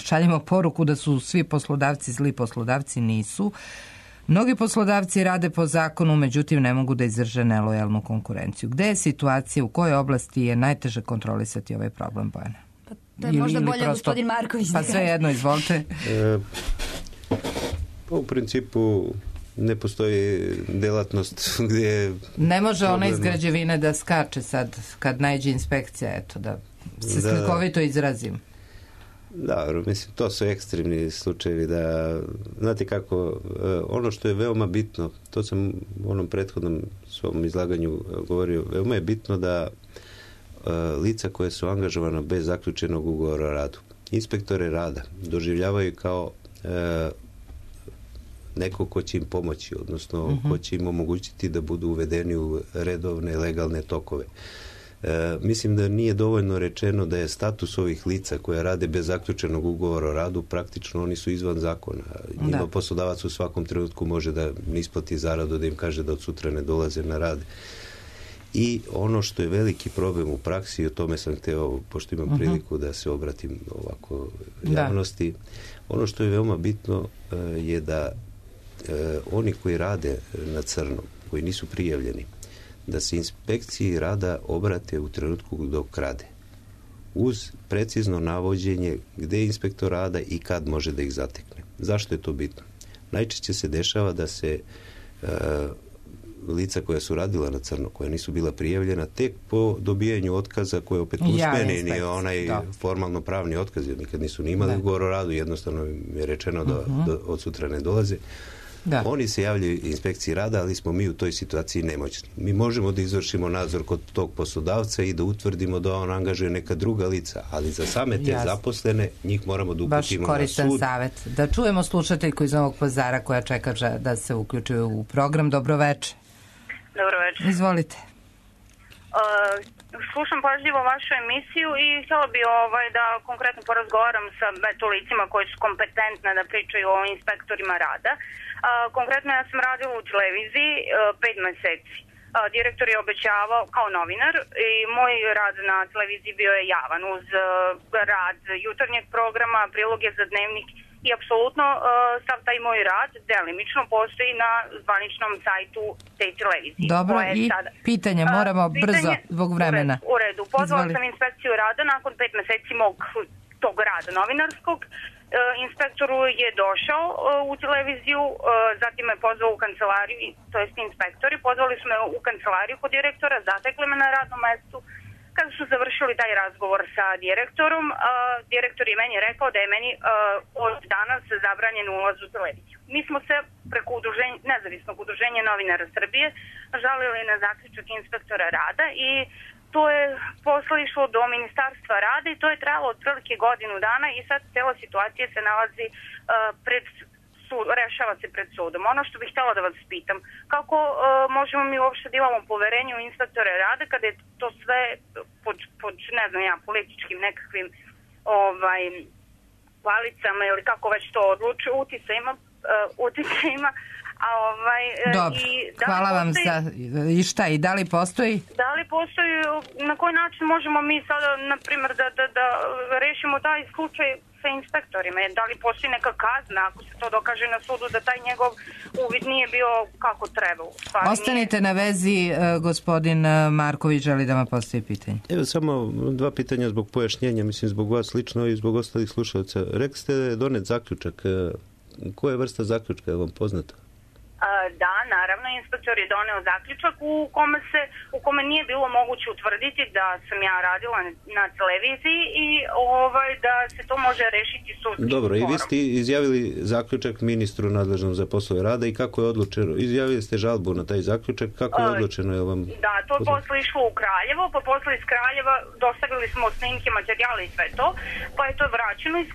šaljemo poruku da su svi poslodavci zli, poslodavci nisu. Mnogi poslodavci rade po zakonu, međutim ne mogu da izdrže nelojalnu konkurenciju. Gde je situacija, u kojoj oblasti je najteže kontrolisati ovaj problem, Bojana? To je možda bolje gospodin Marković. Pa sve jedno, izvolite. U principu ne postoji delatnost gdje... Ne može ona iz građevine da skače sad kad najđe inspekcija, eto, da se slikovito izrazim. Da, mislim, to su ekstremni slučajevi da, znate kako, ono što je veoma bitno, to sam u onom prethodnom svom izlaganju govorio, veoma je bitno da lica koje su angažovana bez zaključenog ugovora o radu, inspektore rada, doživljavaju kao neko ko će im pomoći, odnosno ko će im omogućiti da budu uvedeni u redovne, legalne tokove. Mislim da nije dovoljno rečeno da je status ovih lica koja rade bez zaključenog ugovora o radu, praktično oni su izvan zakona. Njima poslodavac u svakom trenutku može da ne isplati zaradu, da im kaže da od sutra ne dolaze na rad. I ono što je veliki problem u praksi, i o tome sam hteo, pošto imam priliku da se obratim ovako javnosti, ono što je veoma bitno je da oni koji rade na crno, koji nisu prijavljeni, da se inspekciji rada obrate u trenutku dok rade. Uz precizno navođenje gde je inspektor rada i kad može da ih zatekne. Zašto je to bitno? Najčešće se dešava da se lica koja su radila na crno, koja nisu bila prijavljena, tek po dobijanju otkaza, koje opet usmeni, nije onaj formalno pravni otkaz, jer nikad nisu ni imali ugovor o radu, jednostavno je rečeno da od sutra ne dolaze. Oni se javljaju inspekciji rada, ali smo mi u toj situaciji nemoćni. Mi možemo da izvršimo nadzor kod tog poslodavca i da utvrdimo da on angažuje neka druga lica, ali za same te zaposlene njih moramo da uputimo na sud. Baš koristan savjet. Da čujemo slušateljku iz Novog Pazara koja čeka da se uključuje u program. Dobro večer. Dobro večer. Izvolite. Slušam pažljivo vašu emisiju i htjela bi da konkretno porazgovaram sa licima koji su kompetentne da pričaju o inspektorima rada. Konkretno ja sam radila u televiziji 5 meseci. Direktor je obećavao kao novinar i moj rad na televiziji bio je javan uz rad jutarnjeg programa, priloge za dnevnik i apsolutno sav taj moj rad delimično postoji na zvaničnom sajtu te televizije. Dobro, i pitanje moramo brzo zbog vremena. U redu. Pozvala sam inspekciju rada nakon 5 meseci mog tog rada novinarskog. Inspektoru je došao u televiziju, zatim me pozvao u kancelariju, to jest inspektori, pozvali su me u kancelariju kod direktora, zatekli me na radnom mestu. Kada su završili taj razgovor sa direktorom, direktor je meni rekao da je meni od danas zabranjen ulaz u televiziju. Mi smo se preko nezavisnog udruženja novinara Srbije žalili na zaključak inspektora rada i to je posle išlo do Ministarstva rada i to je trajalo otprilike godinu dana i sad cela situacija se nalazi rešava se pred sudom. Ono što bih htjela da vas pitam, kako možemo mi uopšte da imamo poverenje u inspektore rada kada je to sve pod ne znam ja, političkim nekakvim palicama ili kako već to odlučuje, uticajima. Dobro, hvala vam za... I šta, i da li postoji? Da li postoji, na koji način možemo mi sada, na primjer, da rešimo taj slučaj sa inspektorima? Da li postoji neka kazna ako se to dokaže na sudu da taj njegov uvid nije bio kako treba? Ostanite na vezi, gospodin Marković želi da vam postoji pitanje. Evo samo 2 pitanja zbog pojašnjenja, mislim zbog vas lično i zbog ostalih slušalaca. Rekli ste da je donet zaključak. Koja je vrsta zaključka, je vam poznata? Da, naravno, inspektor je doneo zaključak u kome nije bilo moguće utvrditi da sam ja radila na televiziji i da se to može rešiti sudskim. Dobro, i vi ste izjavili zaključak ministru nadležnom za poslove rada i kako je odlučeno? Izjavili ste žalbu na taj zaključak, kako je odlučeno? Da, to je posle išlo u Kraljevo, pa posle iz Kraljeva dostavili smo snimke, materijale i sve to, pa je to vraćeno iz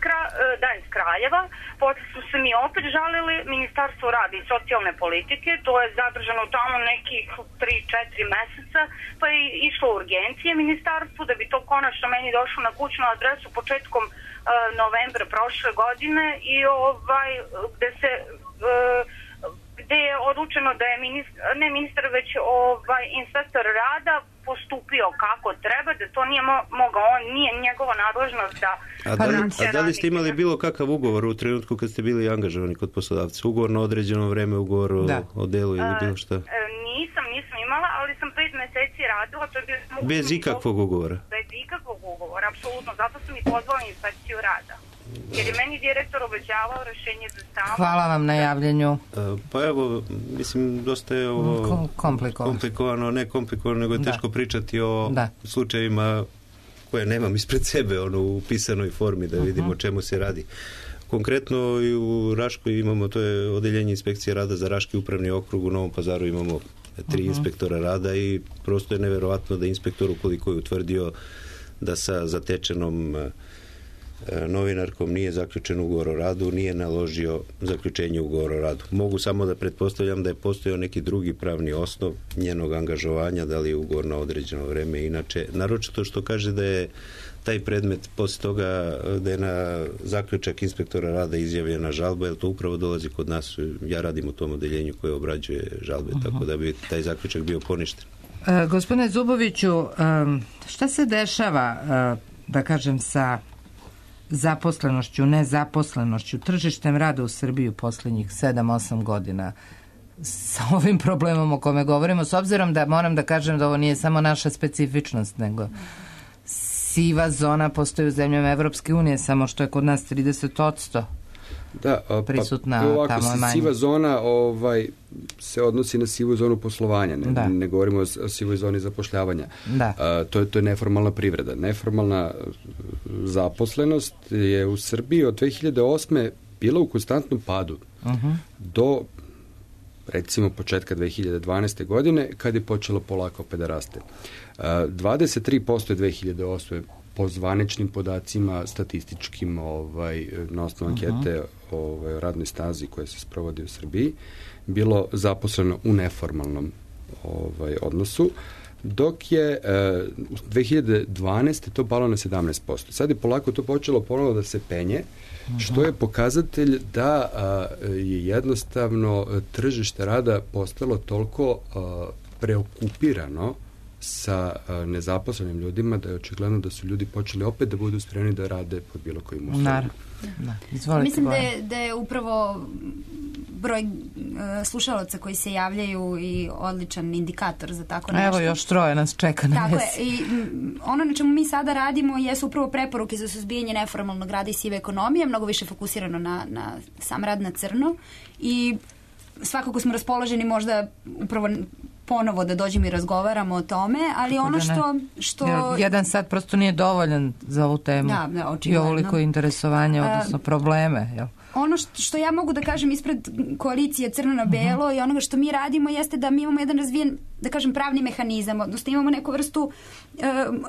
Kraljeva, posle su se mi opet žalili Ministarstvo rada i socijalne politike, to je zadržano tamo nekih 3-4 meseca, pa je išlo urgencije ministarstvu da bi to konačno meni došlo na kućnu adresu početkom novembra prošle godine i gde je odlučeno da je ministar već inspektor rada postupio kako treba, da to nije mogao, nije njegova nadležnost da... A da li ste imali bilo kakav ugovor u trenutku kad ste bili angažovani kod poslodavca? Ugovor na određeno vreme, ugovor o delu ili bilo šta? Nisam imala, ali sam 5 meseci radila. To je bilo... Bez ikakvog ugovora? Bez ikakvog ugovora, apsolutno. Zato sam i pozvala inspekciju rada. Jer je meni direktor obećavao rešenje za stalno. Hvala vam na javljanju. Pa evo, mislim, dosta je ovo komplikovano, ne komplikovano, nego je teško pričati o slučajevima koje nemam ispred sebe, u pisanoj formi, da vidimo o čemu se radi. Konkretno i u Raškoj imamo, to je odeljenje inspekcije rada za Raški upravni okrug, u Novom Pazaru imamo 3 inspektora rada i prosto je neverovatno da inspektor, ukoliko je utvrdio da sa zatečenom novinarkom nije zaključen ugovor o radu, nije naložio zaključenje ugovora o radu. Mogu samo da pretpostavljam da je postojao neki drugi pravni osnov njenog angažovanja, da li je ugovor na određeno vreme. Inače, naročito što kaže da je taj predmet posle toga da je na zaključak inspektora rada izjavljena žalba, jer to upravo dolazi kod nas. Ja radim u tom odeljenju koje obrađuje žalbe, tako da bi taj zaključak bio poništen. Gospodine Zuboviću, šta se dešava, da kažem, sa zaposlenošću, nezaposlenošću, tržištem rada u Srbiji u poslednjih 7-8 godina sa ovim problemom o kome govorimo, s obzirom da moram da kažem da ovo nije samo naša specifičnost, nego siva zona postoji u zemljama Evropske unije, samo što je kod nas 30% prisutna, tamo je manje. Siva zona se odnosi na sivu zonu poslovanja, ne govorimo o sivoj zoni zapošljavanja. To je neformalna privreda. Neformalna zaposlenost je u Srbiji od 2008. bila u konstantnom padu do recimo početka 2012. godine, kad je počelo polako opet da raste. 23% je 2008. po zvaničnim podacima, statističkim, na osnovu ankete o radnoj snazi koja se sprovodi u Srbiji, bilo zaposleno u neformalnom odnosu, dok je 2012. to palo na 17%. Sad je polako to počelo ponovo da se penje, što je pokazatelj da je jednostavno tržište rada postalo toliko preokupirano sa nezaposlenim ljudima da je očigledno da su ljudi počeli opet da budu spremni da rade pod bilo kojim uslovima. Mislim da je upravo broj slušalaca koji se javljaju i odličan indikator za tako nešto. Evo još 3 nas čeka na vezi. Tako je. I ono na čemu mi sada radimo jesu upravo preporuke za suzbijanje neformalnog rada i sive ekonomije, mnogo više fokusirano na sam rad na crno i svakako smo raspoloženi možda upravo ponovo da dođemo i razgovaramo o tome, ali tako ono što... Jedan sat prosto nije dovoljan za ovu temu. I ovoliko interesovanja, odnosno probleme, jel? Ono što ja mogu da kažem ispred koalicije Crno na belo i onoga što mi radimo jeste da mi imamo jedan razvijen, da kažem, pravni mehanizam, odnosno imamo neku vrstu,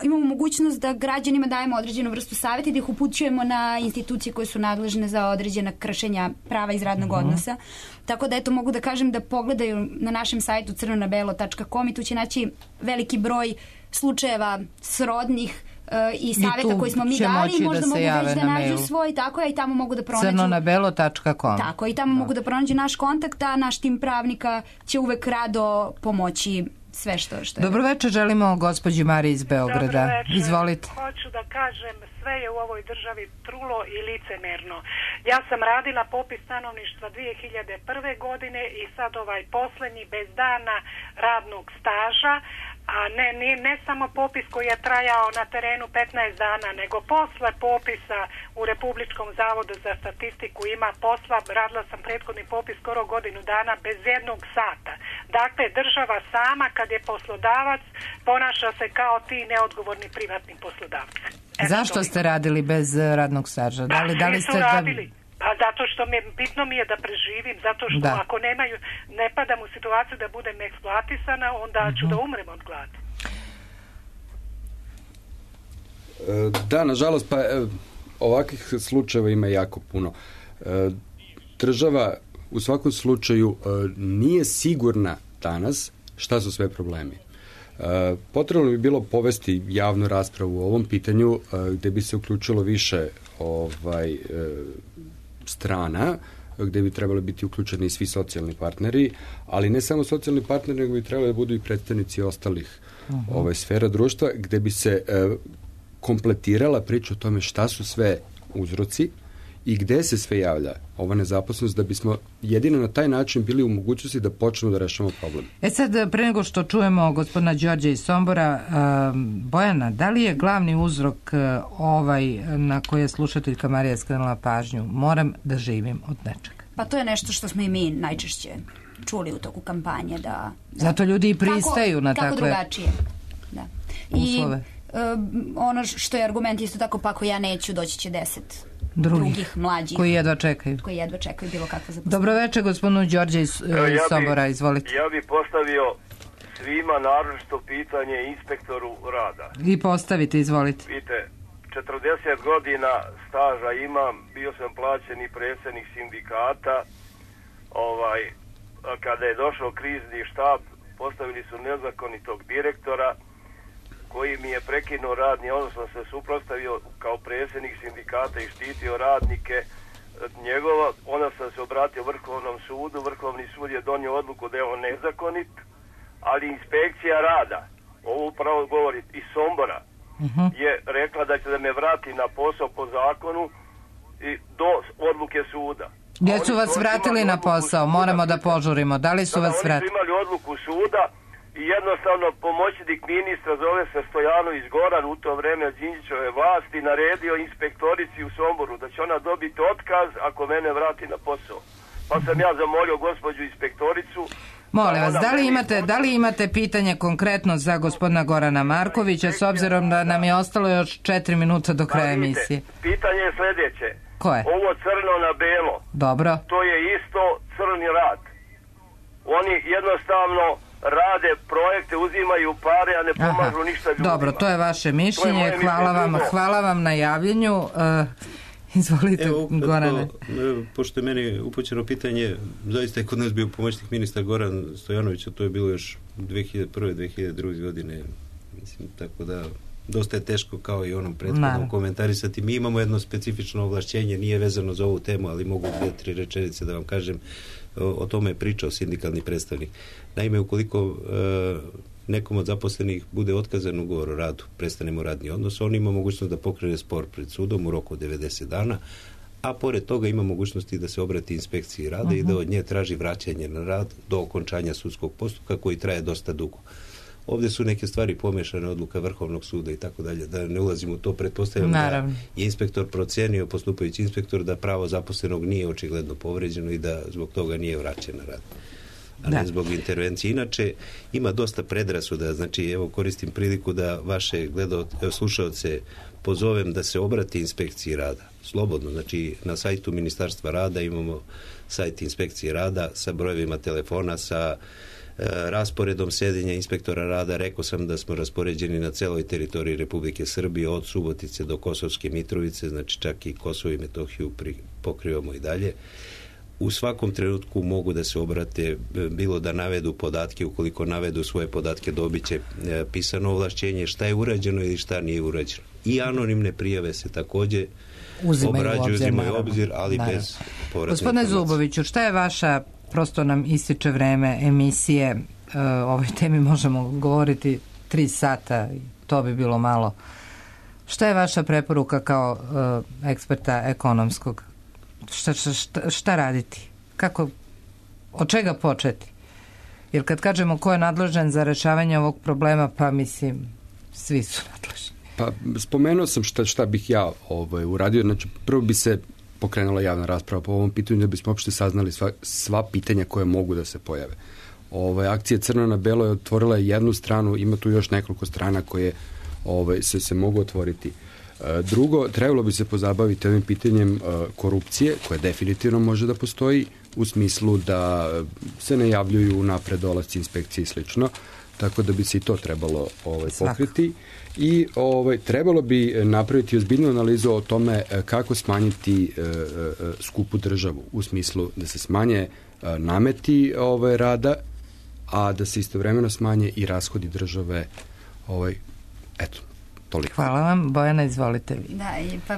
imamo mogućnost da građanima dajemo određenu vrstu savjeta i da ih upućujemo na institucije koje su nadležne za određena kršenja prava iz radnog odnosa. Tako da eto mogu da kažem da pogledaju na našem sajtu crnonabelo.com i tu će naći veliki broj slučajeva srodnih i savjeta koji smo mi dali i možda mogu već da nađu svoj, tako je, i tamo mogu da pronađu crnonabelo.com. Tako, i tamo mogu da pronađu naš kontakt, a naš tim pravnika će uvek rado pomoći sve što je. Dobro večer, želimo gospođi Mariji iz Beograda. Dobro večer. Izvolite. Hoću da kažem, sve je u ovoj državi trulo i licemerno. Ja sam radila popis stanovništva 2001. godine i sad poslednji bez dana radnog staža, a ne samo popis koji je trajao na terenu 15 dana, nego posle popisa u Republičkom zavodu za statistiku ima posla, radila sam prethodni popis skoro godinu dana bez jednog sata. Dakle, država sama kad je poslodavac ponaša se kao ti neodgovorni privatni poslodavci. Zašto ste radili bez radnog staža? Da li ste radili? Pa zato što bitno mi je da preživim, zato što ako ne padam u situaciju da budem eksploatisana, onda ću da umrem od gladi. Da, nažalost, pa ovakvih slučajeva ima jako puno. Država u svakom slučaju nije sigurna danas šta su sve problemi. Potrebno bi bilo povesti javnu raspravu u ovom pitanju gde bi se uključilo više strana, gde bi trebali biti uključeni i svi socijalni partneri, ali ne samo socijalni partneri, nego bi trebali da budu i predstavnici ostalih sfera društva, gde bi se kompletirala priča o tome šta su sve uzroci i gde se sve javlja ova nezaposlenost, da bismo jedino na taj način bili u mogućnosti da počnemo da rešavamo problem. Sad, pre nego što čujemo gospodina Đorđa iz Sombora, Bojana, da li je glavni uzrok na koje je slušateljka Marija skrenula pažnju? Moram da živim od nečega. Pa to je nešto što smo i mi najčešće čuli u toku kampanje. Zato ljudi i pristaju na takve drugačije. Da. uslove. Ono što je argument isto tako, pa ako ja neću, doći će 10 drugih mlađih koji jedva čekaju bilo kakvo zaposlenje. Dobro večer, gospodinu Đorđe iz Sombora, izvolite. Ja bih postavio svima naročito pitanje inspektoru rada. Vi postavite, izvolite. Vidite, 40 godina staža imam, bio sam plaćeni predsjednik sindikata, kada je došao krizni štab, postavili su nezakonitog direktora koji mi je prekinuo radni odnos, sam se suprotstavio kao predsjednik sindikata i štitio radnike njegova, onda sam se obratio Vrhovnom sudu, Vrhovni sud je donio odluku da je on nezakonit, ali inspekcija rada, ovo upravo govori iz Sombora, je rekla da će da me vrati na posao po zakonu i do odluke suda. Gdje su vas vratili na posao? Moramo da požurimo. Da li su vas vratili? Oni su imali odluku suda i jednostavno pomoćnik ministra, zove se Stojanović Goran, u to vreme od Đinđićeve vlasti, naredio inspektorici u Somboru da će ona dobiti otkaz ako mene vrati na posao. Pa sam ja zamolio gospođu inspektoricu. Molim vas, da li imate pitanje konkretno za gospodina Gorana Markovića, s obzirom da nam je ostalo još 4 minuta do kraja emisije? Pitanje je sljedeće. Koje? Ovo crno na belo. Dobro. To je isto crni rad. Oni jednostavno rade projekte, uzimaju pare, a ne pomažu ništa ljudima. Dobro, to je vaše mišljenje. Hvala vam na javljanju. Izvolite, Gorane. Pošto je meni upućeno pitanje, zaista je kod nas bio pomoćnik ministar Goran Stojanović, a to je bilo još 2001. 2002. godine. Mislim, tako da dosta je teško kao i onom prethodnom komentarisati. Mi imamo jedno specifično ovlašćenje, nije vezano za ovu temu, ali mogu 2-3 rečenice da vam kažem. O tome je pričao sindikalni predstavnik. Naime, ukoliko nekom od zaposlenih bude otkazan ugovor o radu, prestanemo radni odnos, on ima mogućnost da pokrene spor pred sudom u roku od 90 dana, a pored toga ima mogućnosti da se obrati inspekciji rada i da od nje traži vraćanje na rad do okončanja sudskog postupka koji traje dosta dugo. Ovdje su neke stvari pomešane, odluka Vrhovnog suda i tako dalje, da ne ulazimo u to, pretpostavljam da je inspektor procenio, postupajući inspektor, da pravo zaposlenog nije očigledno povređeno i da zbog toga nije vraćen na rad, a ne zbog intervencije. Inače, ima dosta predrasuda, znači evo koristim priliku da vaše slušaoce pozovem da se obrati inspekciji rada. Slobodno, znači na sajtu Ministarstva rada imamo sajt inspekcije rada sa brojevima telefona, sa rasporedom sedenja inspektora rada. Rekao sam da smo raspoređeni na celoj teritoriji Republike Srbije, od Subotice do Kosovske Mitrovice, znači čak i Kosovo i Metohiju pokrivamo i dalje. U svakom trenutku mogu da se obrate, bilo da navedu podatke, ukoliko navedu svoje podatke dobit će pisano ovlašćenje šta je urađeno ili šta nije urađeno. I anonimne prijave se također uzimaju u obzir, ali bez povratne informacije. Gospodine Zuboviću, šta je vaša, prosto nam ističe vreme emisije, o ovoj temi možemo govoriti 3 sata, to bi bilo malo. Šta je vaša preporuka kao eksperta ekonomskog? Šta raditi? Od čega početi? Jer kad kažemo ko je nadležan za rešavanje ovog problema, pa mislim, svi su nadležni. Pa spomenuo sam šta bih ja uradio. Znači, prvo bi se pokrenula javna rasprava po ovom pitanju da bismo uopšte saznali sva pitanja koje mogu da se pojave. Akcija Crno na belo je otvorila jednu stranu, ima tu još nekoliko strana koje se mogu otvoriti. Drugo, trebalo bi se pozabaviti ovim pitanjem korupcije, koja definitivno može da postoji, u smislu da se ne javljuju napred dolasci inspekcije i slično, tako da bi se i to trebalo pokriti. I trebalo bi napraviti ozbiljnu analizu o tome kako smanjiti skupu državu, u smislu da se smanje nameti rada, a da se istovremeno smanje i rashodi države. Eto, toliko. Hvala vam. Bojana, izvolite vi.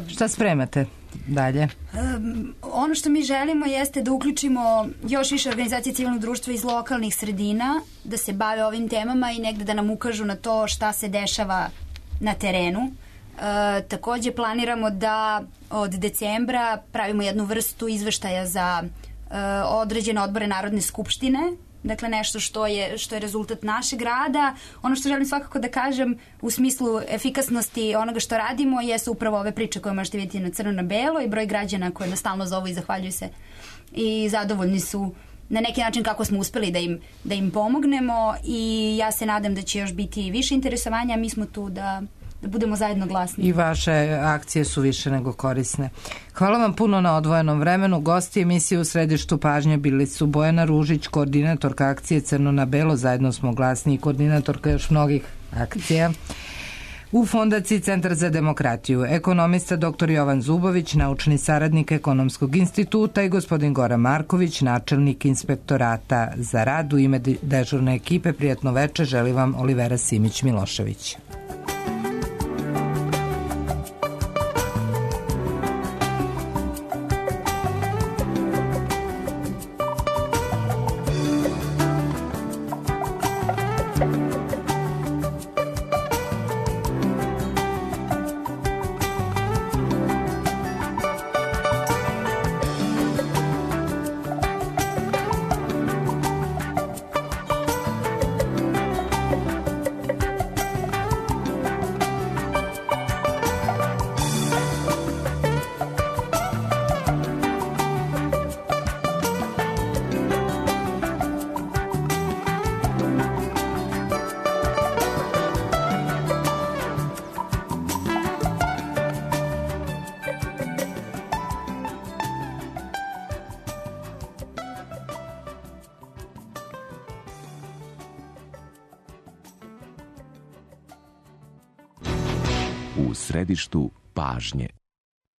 Šta spremate dalje? Ono što mi želimo jeste da uključimo još više organizacije civilnog društva iz lokalnih sredina, da se bave ovim temama i negde da nam ukažu na to šta se dešava na terenu. Takođe planiramo da od decembra pravimo jednu vrstu izveštaja za određene odbore Narodne skupštine, dakle nešto što je rezultat našeg rada. Ono što želim svakako da kažem u smislu efikasnosti onoga što radimo jesu upravo ove priče koje možete vidjeti na Crno na belo i broj građana koje nas stalno zovu i zahvaljuju se i zadovoljni su na neki način kako smo uspeli da im pomognemo i ja se nadam da će još biti više interesovanja, mi smo tu da budemo zajedno glasni. I vaše akcije su više nego korisne. Hvala vam puno na odvojenom vremenu. Gosti emisije u središtu pažnje bili su Bojana Ružić, koordinatorka akcije Crno na belo, zajedno smo glasni i koordinatorka još mnogih akcija. U Fondaciji Centar za demokratiju, ekonomista dr. Jovan Zubović, naučni saradnik Ekonomskog instituta i gospodin Goran Marković, načelnik inspektorata za rad. U ime dežurne ekipe prijatno veče želi vam Olivera Simić-Milošević. U središtu pažnje.